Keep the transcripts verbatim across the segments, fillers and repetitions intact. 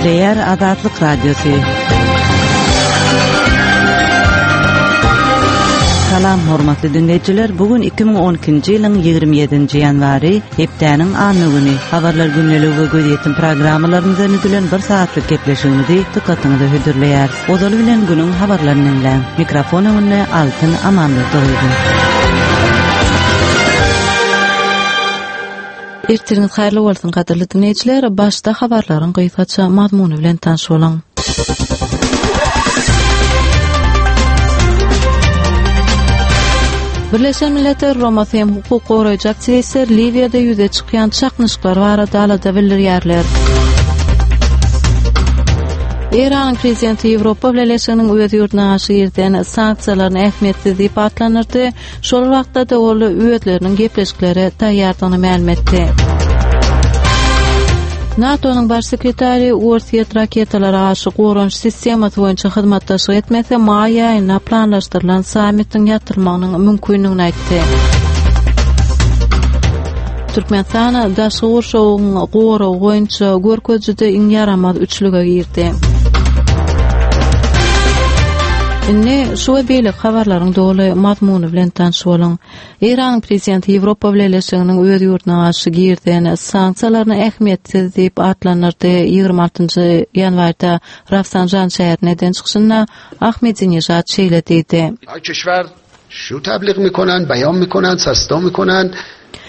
Gepleýär Azatlyk Radiosy. Salam hormatly dinleýjiler. Bu gün iki müň on ikinji ýylyň ýigrimi ýedinji ýanwary, hepdäniň anna güni. Habarlar gündeligi we gözýetim programmalarymyzdan düzülen bir saatlyk gepleşigimizi dykgatyňyza hödürleýär. Ozaly bilen günüň habarlaryny dinläň. Mikrofon öňünde Altyn Amanberdiýewa. Ertiriňiz haýyrly bolsun gadyrly dinleýjiler. Başda habarlaryň gysgaça mazmuny bilen tanyş boluň. Birleşen Milletler Guramasy hem hukuk goraýjy aktiwistler Liwiýada ýüze çykýan çaknyşyklar barada alada bildirýärler. Eýranyň prezidenti Ýewropa Bileleşiginiň öz ýurduna garşy girizen sanksiýalaryny ähmiýetsiz diýip atlandyrdy. Şol wagtda da ol özleriniň gepleşiklere taýýardygyny mälim etdi. NATO-nyň baş sekretary Orsýet raketalara garşy goranyş sistemasy boýunça hyzmatdaşlyk etmese, maý aýynda planlaşdyrylan sammitiň ýatyrylmagynyň mümkindigini aýtdy. Türkmenistan daşky gurşawyň goragy boýunça görkezijide iň ýaramaz üçlüge girdi. Indi şu we beýleki habarlaryň doly mazmuny bilen tanyş boluň. Eýranyň prezidenti Ýewropa Bileleşiginiň öz ýurduna garşy girizen sanksiýalaryny ähmiýetsiz diýip atlandyrdy. Ýigrimi altynjy ýanwarda Rafsanjan şäherinde eden çykyşynda Ahmedinejad şeýle diýdi. Ay keşwer şu tebliğ mikonan, beyan mikonan, sasta mikonan.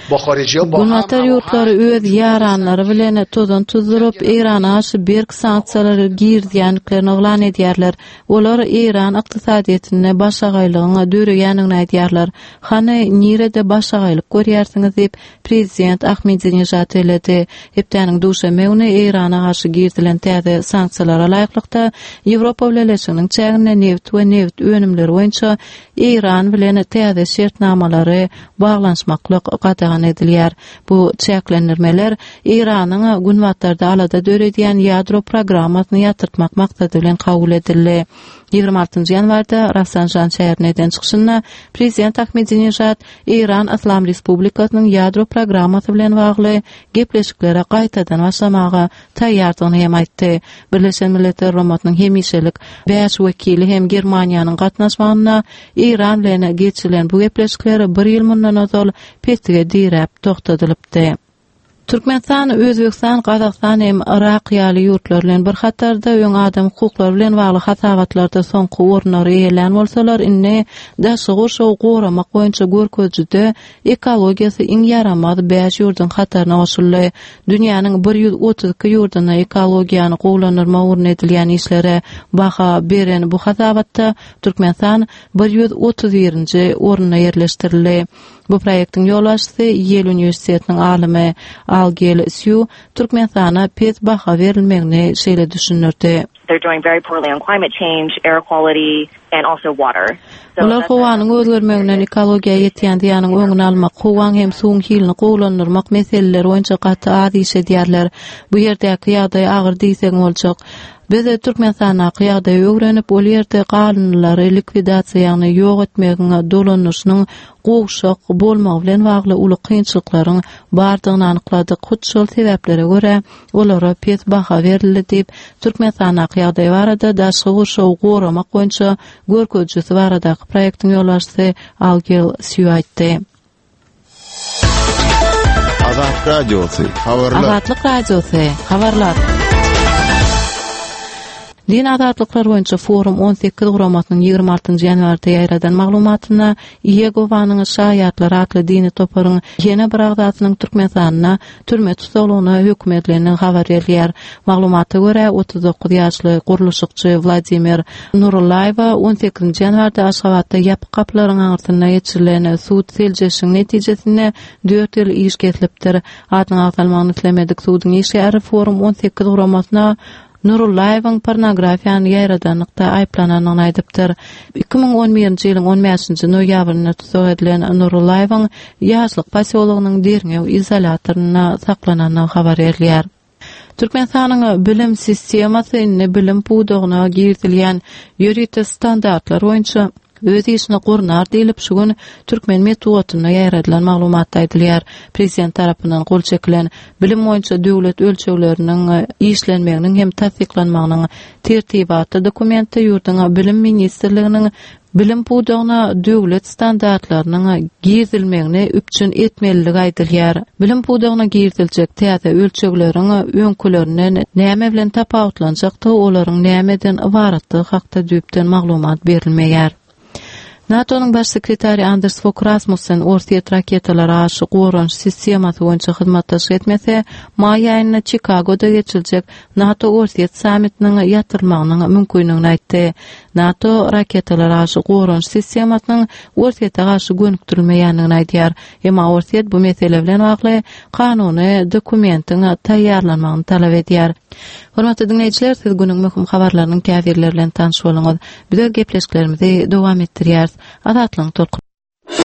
Günbatar ýurtlary öz ýaranlary bilen tozan tuzduryp, Eýrana garşy berk sanksiýalary girizýändiklerini yglan edýärler. Olar Eýran ykdysadyýetinde başagaýlygyň döreýändigini aýdýarlar. Hany nirede başagaýlyk görýärsiňiz diýip, prezident Ahmedinejad belledi. Hepdäniň duşenbe güni Eýrana garşy girizilen täze sanksiýalara laýyklykda Ýewropa Bileleşiginiň çäginde neft we neft önümleri boýunça Eýran bilen täze şertnamalary baglanyşmaklyk gadagan edilýär. Bu çäklendirmeler Eýranyň günbatarda alada döredýän ýadro programmasyny ýatyrtmak maksady bilen kabul edildi. Ýigrimi altynjy ýanwarda Rafsanjan şäherine eden çykyşynda prezident Ahmedinejad Eýran Yslam Respublikasynyň ýadro programmasy bilen bagly gepleşiklere gaýtadan başlamaga taýýardygyny hem aýtdy. Birleşen Milletler Guramasynyň hemişelik bäş wekili hem Germaniýanyň gatnaşmagynda Eýran bilen geçirilen bu gepleşikler bir ýyl mundan ozal petige diräp togtadylypdy. Türkmenistan, Özbegistan, Gazagystan hem Irak ýaly ýurtlar bilen bir hatarda öň adam hukuklary bilen bagly hasabatlarda soňky orunlary eýelän bolsalar, indi daşky gurşawy goramak boýunça görkezijide ekologiýasy iň ýaramaz bäş ýurduň hataryna goşuldy. Dünýäniň bir ýüz otuz iki ýurdunda ekologiýany gowulandyrmak ugrunda edilýän işlere baha beren bu hasabatda Türkmenistan bir ýüz otuz birinji orunda ýerleşdirildi. Bu proýektiň ýolbaşçysy Ýel uniwersitetiniň alymy Algel Sýu Türkmenistana pes baha berilmegini şeýle düşündirdi. They're doing very poorly on climate change, air quality and also water. So Bular that's howanyň özgermeginden ekologiýa ýetýän zyýanyň öňüni almak, howaň hem suwuň hilini gowulandyrmak meseleleri boýunça gaty az iş edýärler. Bu ýerdäki ýagdaý agyr diýseň boljak. Biz Türkmenistandaky ýagdaýy öwrenip, ol ýerde galyndylary likwidasiýa, ýagny ýok etmegiň dolandyryşynyň gowşak bolmagy bilen bagly uly kynçylyklaryň bardygyny anykladyk. Hut şol sebäplere görä olara pes baha berildi diýip, Türkmenistandaky ýagdaý barada daşky gurşawy goramak boýunça görkezijisi baradaky proýektiň ýolbaşçysy Algel Sýu aýtdy. Azatlyk Radiosy, habarlar. Azatlyk Radiosy, habarlar. Din azatlyklar boýunça forum on sekiz guramasynyň ýigrimi altynjy ýanwarda ýaýradan maglumatynda Ýegowanyň şaýatlary atly dini toparyň ýene bir agzasynyň Türkmenistanda türme tussaglygyna höküm edilendigi habar berilýär. Maglumata görä, otuz dokuz ýaşly gurluşykçy Wladimir Nurullaýewa on sekizinji ýanwarda Aşgabatda ýapyk gapylaryň aňyrsynda geçirilen sud seljerişiň netijesinde dört ýyl iş kesilipdir. Adyň agzalmagyny islemedik suduň işgäri forum on sekiz guramasyna Nurullaýewiň pornografiýany ýaýradanlykda aýyplanandygyny aýdypdyr. Iki müň on birinji ýylyň on bäşinji noýabrynda tussag edilen Nurullaýewiň Ýaşlyk posýologynyň derňew izolýatorynda saklanandygy habar berilýär. Türkmenistanyň bilim sistemasy indi bilim pudagyna girizilýän ýörite standartlar boýunça Öz işini gurnar diýilip şu gün Türkmen metbugatynda ýaýradylan maglumatda aýdylýar. Prezident tarapyndan gol çekilen bilim boýunça döwlet ölçegleriniň işlenmeginiň hem tassyklanmagynyň tertibatly dokumentde ýurduň bilim ministrliginiň bilim pudagyna döwlet standartlarynyň girizilmegini üpjün etmeliligi aýdylýar. Bilim pudagyna giriziljek täze ölçegleriň öňkülerinden näme bilen tapawutlanjakdygy, olaryň nämeden ybaratdygy hakda düýpden maglumat berilmeýär. NATO-nyň baş sekretary Anders Fogh Rasmussen Orsýet raketalara garşy goranyş sistemasy boýunça hyzmatdaşlyk etmese, maý aýynda Çikagoda geçiriljek NATO-Orsýet sammitiniň ýatyrylmagynyň mümkinligini aýtdy. NATO raketalara garşy goranyş sistemasynyň Orsýete garşy gönükdirilmeýändigini aýdýar. Emma Orsýet bu mesele bilen bagly kanuny dokumentiň taýýarlanmagyny talap edýär. Hormatly dinleýjiler, siz günüň möhüm habarlarynyň käbirleri bilen tanyş boluňyz. Biz öz gepleşiklerimizi dowam etdirýäris. Azatlygyň tolkun